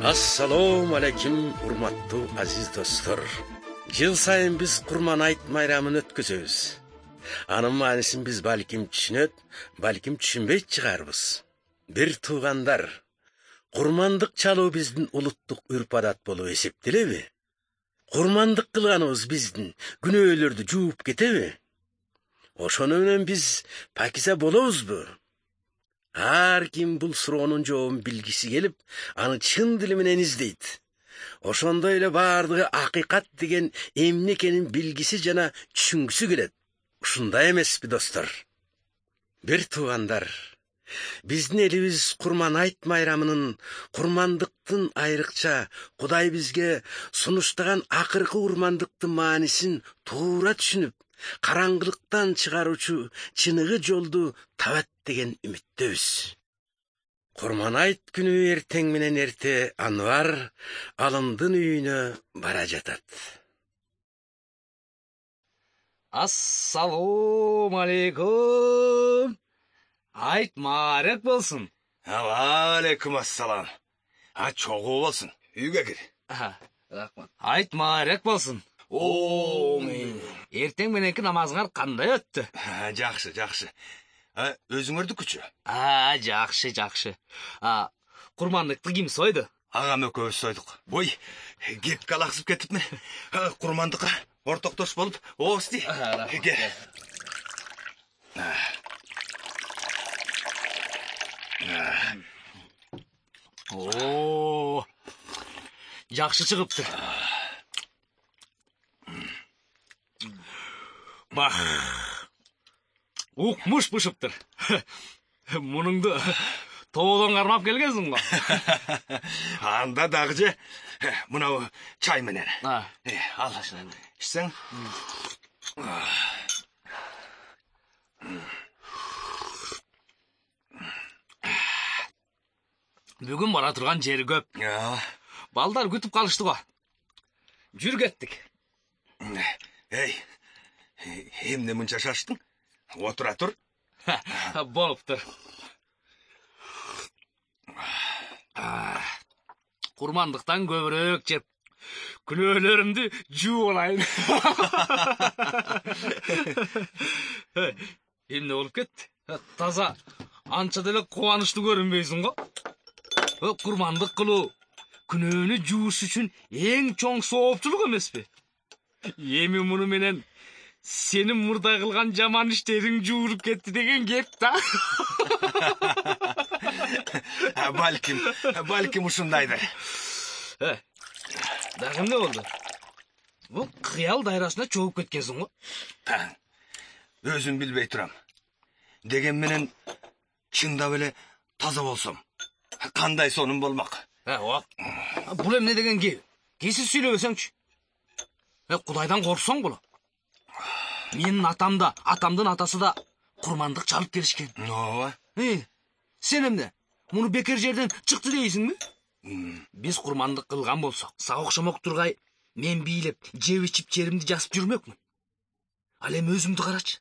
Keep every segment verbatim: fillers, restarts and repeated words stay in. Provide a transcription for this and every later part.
Ассалому алейкум, урматтуу азиз достор. Жыл сайын биз Курман айт майрамын өткөзөбүз. Анын маанисин биз балким түшүнөт, балким түшүнбөйт чыгарбыз. Бир туугандар, курмандык чалуу биздин улуттук үрп-адат болуп эсептелеби? Курмандык кылганыбыз биздин күнөөлөрдү жууп кетеби? Ошону менен биз пакиза болобузбу? Ар ким бул суроонун жообун билгиси келип, аны чын дили менен издейт. Ошондой эле баардыгы акыйкат деген эмне экенин билгиси жана түшүнгүсү келет. Ушундай эмеспи, достор? Бир туугандар, биздин элибиз Курман айт майрамынын курмандыктын айрыкча Кудай бизге сунуштаган акыркы курмандыктын маанисин туура түшүнүп, караңгылыктан чыгаруучу чыныгы жолду табат деген үмүттөбүз. Курман айт күнү эртең менен эрте Анвар алымдын үйүнө бара жатат. Ассалому алейкум. Айт маарек болсун. Алейкум ассалам. А чогуу болсун. Үйгө кир. Рахмат. Айт маарек болсун. Омин. Эртең мененки намазыңар кандай өттү? Жакшы, жакшы. А өзүңөрдүкүчү? А, жакшы, жакшы. А, курмандыкты ким сойду? Агам экөөбүз сойдук. Ой, кепке алаксып кетипми? Курмандыкка ортоктош болуп, оости. Ке. О, жакшы чыгыптыр. Бах. Укмуш бышыптыр. Мунуңду тоодон кармап келгенсиң го. Анда дагы же мынау чай менен. Э, ал. Ичсең? Бүгүн бара турган жери көп. Балдар күтүп калышты го. Жүр кеттик. Эй, эмне мынча шаштың? Отура тур. Болуптур. Курмандыктан көбүрөөк жеп, күнөөлөрүмдү жууп алайын. Эмне болуп кетти? Таза анча деле кубанычтуу көрүнбөйсүң го. Курмандык кылуу күнөөнү жууш үчүн эң чоң соопчулук эмеспи? Эми муну менен сенин мурда кылган жаман иштериң жуулуп кетти деген кеп да. Балким, балким ушундайдыр. Дагы эмне болду? Бул кыял дайрасына чогуп кеткенсиң го. Өзүм билбей турам. Деген менен чындап эле таза болсом, кандай сонун болмак? Бул эмне деген кеп? Кесип сүйлөбөсөңчү. Кудайдан корксоң болот. Менин атам да, атамдын атасы да курмандык чалып келишкен. Ооба. Э, сен эмне? Муну бекер жерден чыкты дейсиңби? Биз курмандык кылган болсок, сага окшомок тургай, мен бийлеп, жеп ичип жеримди жасып жүрмөкмүн. Ал эми өзүмдү карачы.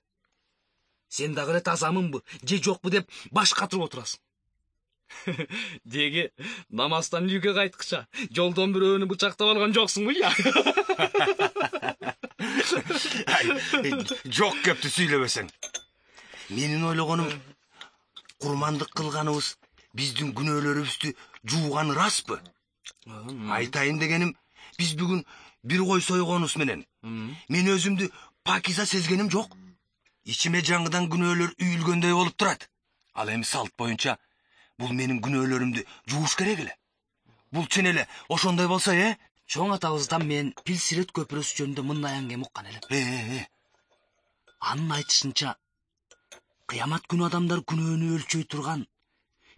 Сен дагы эле тазамынбы, же жокпу деп баш катырып отурасың. Деги намаздан үйгө кайткыча жолдон бирөөнү бычактап алган жоксуңбу я? Жок кепти сүйлөбөсөң. Менин ойлогонум, курмандык кылганыбыз биздин күнөөлөрүбүздү жууганы распы? Айтайын дегеним, биз бүгүн бир кой сойгонубуз менен мен өзүмдү пакиза сезгеним жок. Ичиме жаңыдан күнөөлөр үйүлгөндөй болуп турат. Ал эми салт боюнча бул менин күнөөлөрүмдү жууш керек эле. Бул чын эле ошондой болсо, э? Чоң атабыздан мен Пил-Сирет көпүрөсү жөнүндө мындай аңгем уккан элем. Э, Анын айтышынча, кыямат күнү адамдар күнөөнү өлчөй турган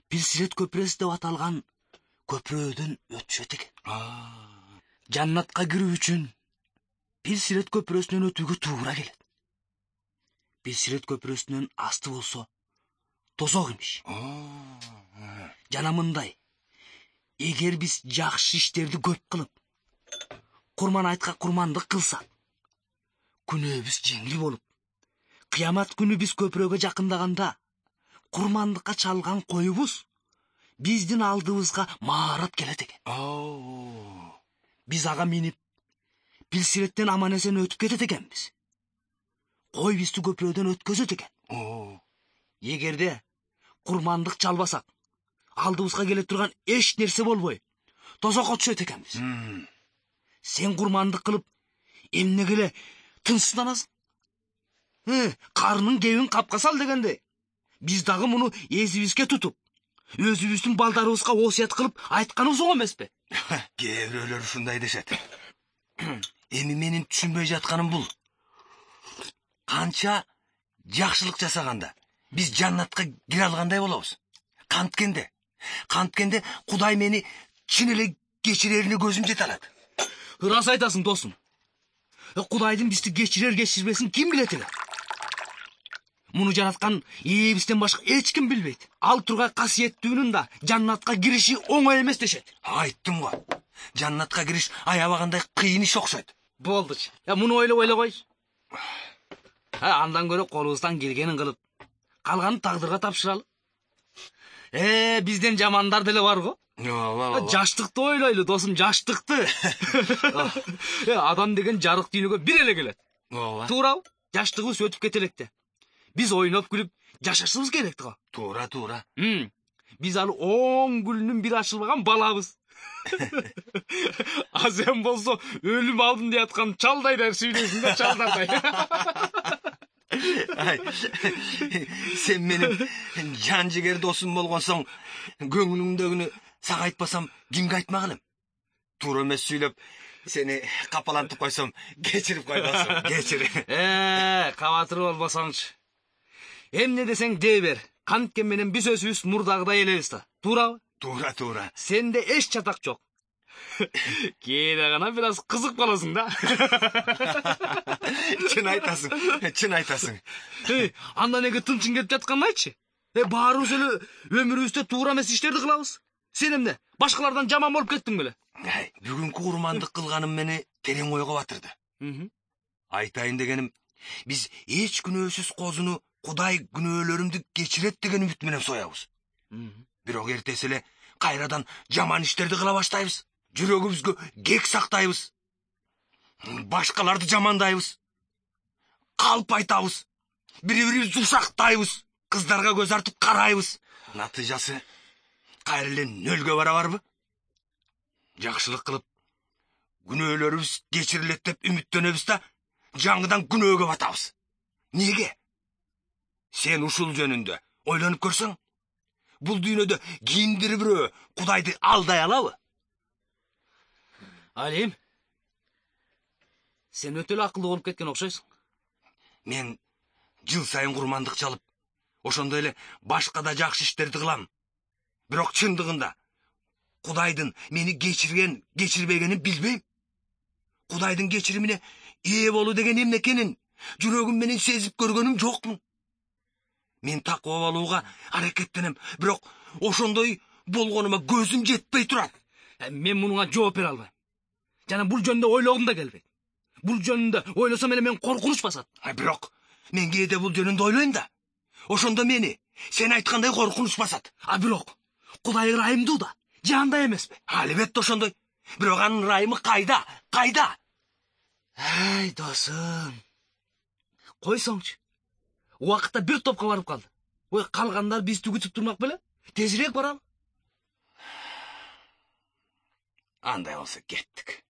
Пил-Сирет көпүрөсү деп аталган көпүрөөдөн өтүшөт экен. Жаннатка кирүү үчүн Пил-Сирет көпүрөсүнөн өтүүгө туура келет. Пил-Сирет көпүрөсүнөн асты болсо тозок имиш. Жана мындай, эгер биз жакшы иштерди көп кылып, Курман айтка курмандык кылсак, күнөөбүз жеңил болуп, кыямат күнү биз көпүрөгө жакындаганда, курмандыкка чалган коюбуз биздин алдыбызга маарат келет экен. Оо. Биз ага минип Пилсиреттен аман эсен өтүп кетет экенбиз. Кой бизди көпүрөдөн өткөзөт экен. Оо. Эгерде курмандык чалбасак, алдыбызга келе турган эч нерсе болбой, тозокко түшөт экенбиз. Сен курмандык кылып, эмнеге эле тынчсызданасың? Э, карынын кебин капка сал дегенде, биз дагы муну эзибизге тутуп, өзүбүздүн балдарыбызга осуят кылып айтканыбыз оңо эмеспи? Кээ бирөөлөр ушундай дешет. Эми менин түшүнбөй жатканым бул. Канча жакшылык жасаганда биз жаннатка кире алгандай болобуз. Канткенде, канткенде Кудай мени чын эле кечирерине көзүм жете алат. Ырас айтасың, досум. Кудайдын бизди кечирер кечирбесин ким билет эле? Муну жараткан Эебизден башка эч ким билбейт. Ал тургай касиеттүүнүн да жаннатка кириши оңой эмес дешет. Айттым го. Жаннатка кириш аябагандай кыйын иш окшойт. Болдучу. Я муну ойлоп эле койчу. Андан көрө колубуздан келгенин кылып, калганын тагдырга тапшыралы. Э, бизден жамандар деле бар го. Ооба. Жаштыкты ойлойлу, досум, жаштыкты. Адам деген жарык дүйнөгө бир эле келет. Ооба. Туурабы? Жаштыгыбыз өтүп кете электе. Биз ойноп күлүп жашашыбыз керек го. Туура, туура. Биз ал он гүлүнүн бир ачылбаган балабыз. А сен болсо өлүм алдым деп аткан чалдайдар сүйлөйсүң да, чалдардай. Ай, сен менин жан жигер досум болгонсоң, көңүлүңдөгүнү сага айтпасам, кимге айтмак элем? Туура эмес сүйлөп, сени капалантып койсом, кечирип кой досум, кечир. Э, кабатыр болбосоңчу. Эмне десең дей бер. Канткен менен биз өзүбүз мурдагыдай элебиз да. Туурабы? Туура, туура. Сенде эч чатак жок. Кээде гана бир аз кызык болосуң да. Чын айтасың, чын айтасың. Эй, анда неге тынчың кетип жатканын айтчы. Э, баарыбыз эле өмүрүбүздө туура эмес иштерди кылабыз. Сен эмне? Башкалардан жаман болуп кеттиң беле? Ай, бүгүнкү курмандык кылганым мени терең ойго батырды. Айтайын дегеним, биз эч күнөөсүз козуну Кудай күнөөлөрүмдү кечирет деген үмүт менен соябыз. Бирок эртеси эле кайрадан жаман иштерди кыла баштайбыз. Жүрөгүбүзгө кек сактайбыз. Башкаларды жамандайбыз. Калп айтабыз. Бири-бирибизди ушактайбыз. Кыздарга көз артып карайбыз. Натыйжасы кайра эле нөлгө бара барбы? Жакшылык кылып, күнөөлөрүбүз кечирилет деп үмүттөнөбүз да, жаңыдан күнөөгө батабыз. Неге? Сен ушул жөнүндө ойлонуп көрсөң, бул дүйнөдө кимдир бирөө Кудайды алдай алабы? Алим, сен өтө эле акылдуу болуп кеткен окшойсуң. Мен жыл сайын курмандык чалып, ошондой эле башка да жакшы иштерди кылам. Бирок чындыгында Кудайдын мени кечирген, кечирбегенин билбейм. Кудайдын кечиримине ээ болуу деген эмне экенин жүрөгүм менен сезип көргөнүм жокмун. Мен такыба болууга аракеттенем, бирок ошондой болгонума көзүм жетпей турат. Мен мунуңа жооп бере албайм. Жана бул жөнүндө ойлогум да келбейт. Бул жөнүндө ойлосом эле мен коркунуч басат. Бирок мен кээде бул жөнүндө ойлойм да. Ошондо мени сен айткандай коркунуч басат. А бирок Кудай ырайымдуу да, жандай эмеспи? Албетте ошондой. Бирок анын ырайымы кайда? Кайда? Ай, досум. Койсоңчу. Убакытта бир топко барып калды. Ой, калгандар бизди күтүп турмак беле? Тезирээк баралы. Андай болсо кеттик.